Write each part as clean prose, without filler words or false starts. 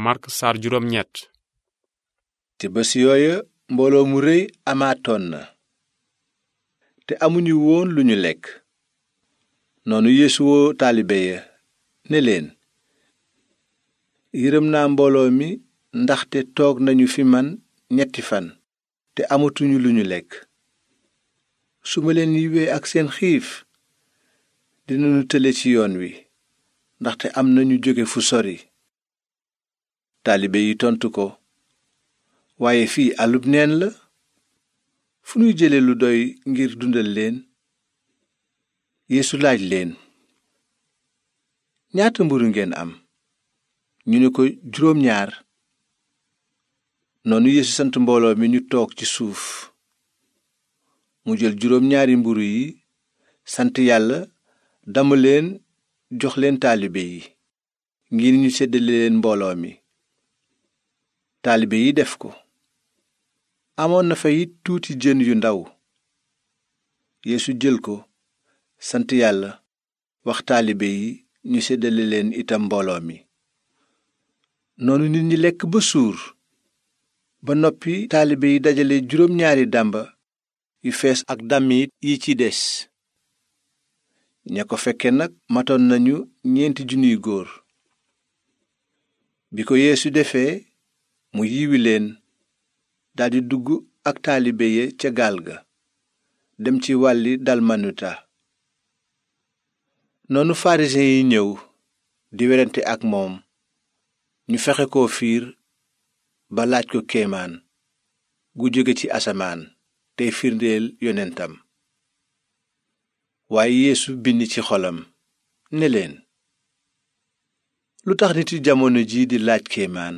Mark saar juróom ñett. te bés yooya mbooloo mu rëy amaatoon na te amuñu woon lu ñu lekk. noonu Yeesu woo taalibe ya ne leen, yërëm naa mbooloo mi ndaxte toog nañu fi man 3 fan te amatuñu lu ñu lekk. su ma leen yiwee ak seen xiif dinañu tële ci yoon wi, ndaxte am na ñu jóge fu sori. taalibe yi tontu ko, waaye fii àllub neen la, fu ñuy jële lu doy ngir dundal leen? Yeesu laaj leen, ñaata mburu ngeen am? ñu ne ko 2. noonu Yeesu sant mbooloo mi ñu toog ci suuf. mu jël 2 mburu yi, sant Yàlla, damm leen, jox leen taalibe yi, ngir ñu seddale leen mbooloo mi. taalibe yi def ko. amoon na fa it tuuti jën yu ndaw. Yeesu jël ko, sant Yàlla, wax taalibe yi ñu seddale leen itam mbooloo mi. noonu nit ñi lekk ba suur. ba noppi taalibe yi dajale 2 dàmba yu fees ak damit yi ci des. ña ko fekke nag matoon nañu 4,000 góor. bi ko Yeesu defee, mu yiwi leen, daldi dugg ak taalibe ya ca gaal ga, dem ci wàlli dalmanuta. noonu farisiyen yi ñëw di werante ak moom. ñu fexe ko fiir ba laaj ko kéemaan gu jóge ci asamaan tey firndeel yonentam. waaye Yeesu bind ci xolam ne leen, lu tax nit yi jamono ji di laaj kéemaan?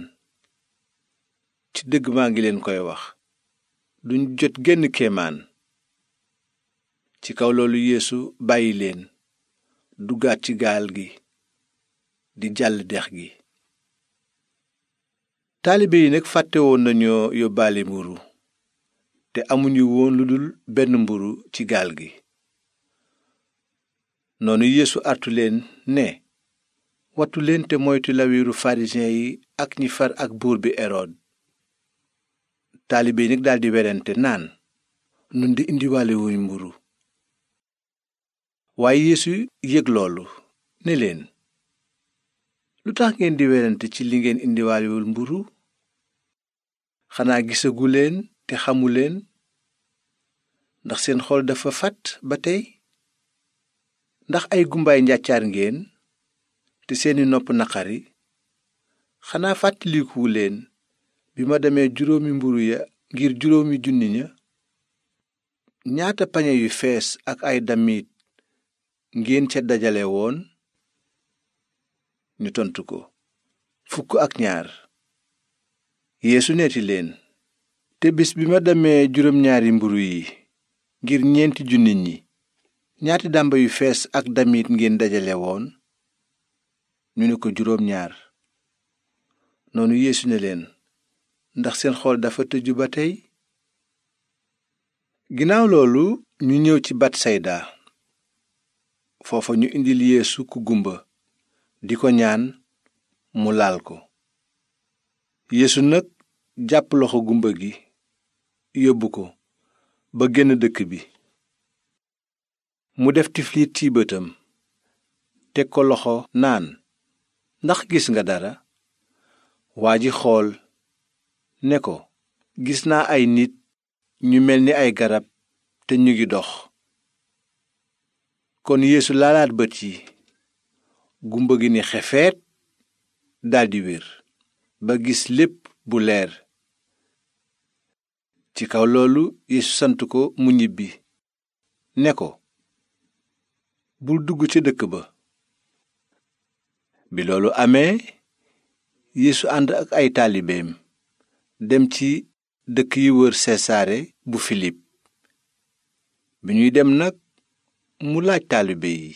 ci dëgg maa ngi leen koy wax, duñ jot genn kéemaan. ci kaw loolu Yeesu bàyyi leen, duggaat ci gaal gi di jàll dex gi. taalibe yi nag fàtte woon nañoo yóbbaale mburu, te amuñu woon lu dul benn mburu ci gaal gi. noonu Yeesu artu leen ne, wattu leen te moytu lawiru farisiyen yi ak ñi far ak buur bi Erod. taalibe yi nag daldi werante naan, nun di indiwaale wuñ mburu. waaye Yeesu yëg loolu ne leen, lu tax ngeen di werante ci li ngeen indiwaalewul mburu? xanaa gisaguleen te xamuleen? ndax seen xol dafa fat ba tey? ndax ay gumbaay njàccaar ngeen te seeni nopp naqari? xanaa fàttalikuwu leen bi ma demee 5 mburu ya ngir 5,000 ña? ñaata pañe yu fees ak ay damit ngeen ca dajale woon? ñu tontu ko, 12. Yeesu neeti leen, te bis bi ma demee 2 mburu yi ngir 4,000 ñi, ñaati dàmba yu fees ak damit ngeen dajale woon? ñu ne ko 2. noonu Yeesu ne leen, ndax seen xol dafa tëju ba tey? ginnaaw loolu ñu ñëw ci Batsayda. foofa ñu indil Yeesu ku gumba, di ko ñaan mu laal ko. Yeesu nag jàpp loxo gumba gi, yóbbu ko ba génn dëkk bi. mu def tiflit ci bëtam, teg ko loxo naan, ndax gis nga dara? waa ji xool, ne ko, gis naa ay nit ñu mel ni ay garab te ñu ngi dox. kon Yeesu laalaat bët yi, gumba gi ni xefeet, daldi wér, ba gis lépp bu leer. ci kaw loolu Yeesu sant ko mu ñibbi, ne ko, bul dugg ca dëkk ba. bi loolu amee, Yeesu ànd ak ay taalibeem dem ci dëkk yi wër Sesaare bu Filip. bi ñuy dem nag, mu laaj taalibe yi,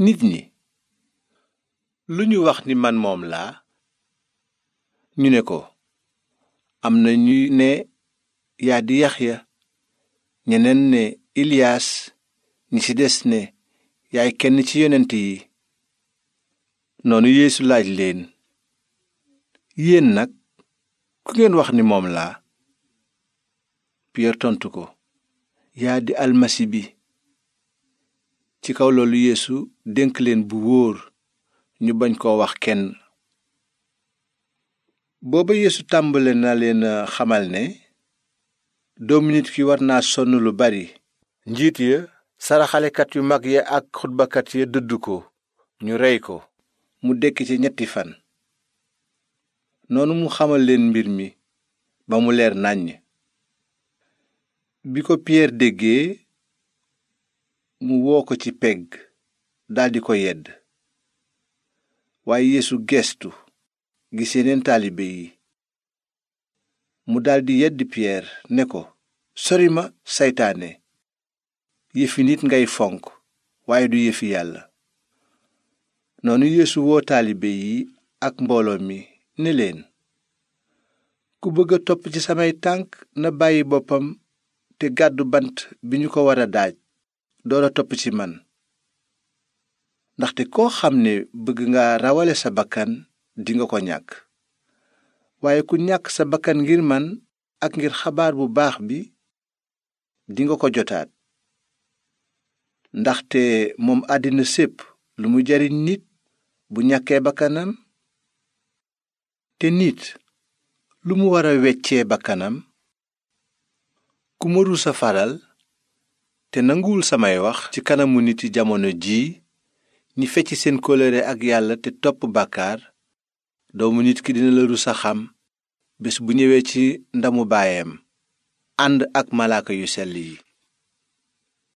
nit ñi lu ñu wax ni man moom laa? ñu ne ko, am na ñu ne yaa di Yaxya, ñeneen ne Iliyaas, ñi ci des ne yaay kenn ci yonent yi. noonu Yeesu laaj leen, yéen nag ku ngeen wax ni moom laa? Piyeer tontu ko, yaa di almasi bi. ci kaw loolu Yeesu dénk leen bu wóor ñu bañ koo wax kenn. booba Yeesu tàmbale na leen xamal ne doomu nit ki war naa sonn lu bari. njiit ya, saraxalekat yu mag ya ak xutbakat ya dëdd ko, ñu rey ko, mu dekki ci 3 fan. noonu mu xamal leen mbir mi ba mu leer nàññ. bi ko Piyeer déggee, mu woo ko ci pegg daldi ko yedd. waaye Yeesu gestu gis yeneen taalibe yi. mu daldi yedd Piyeer ne ko, sori ma saytaane, yëfi nit ngay fonk waaye du yëfi yàlla. noonu Yeesu woo taalibe yi ak mbooloo mi ne leen, ku bëgg a topp ci samay tànk na bàyyi boppam te gàddu bant bi ñu ko war a daaj door a topp ci man. ndaxte koo xam ne bëgg nga rawale sa bakkan dinga ko ñàkk. waaye ku ñàkk sa bakkan ngir man ak ngir xabaar bu baax bi dinga ko jotaat. ndaxte moom àddina sépp lu mu jariñ nit bu ñàkkee bakkanam? te nit lu mu war a weccee bakkanam? ku ma rusa faral te nanguwul samay wax ci kanamu niti jamono jii ñi fecc seen kóllëre ak yàlla te topp bàkkaar, doomu nit ki dina la rusa xam bés bu ñëwee ci ndamu baayam ànd ak malaaka yu sell yi.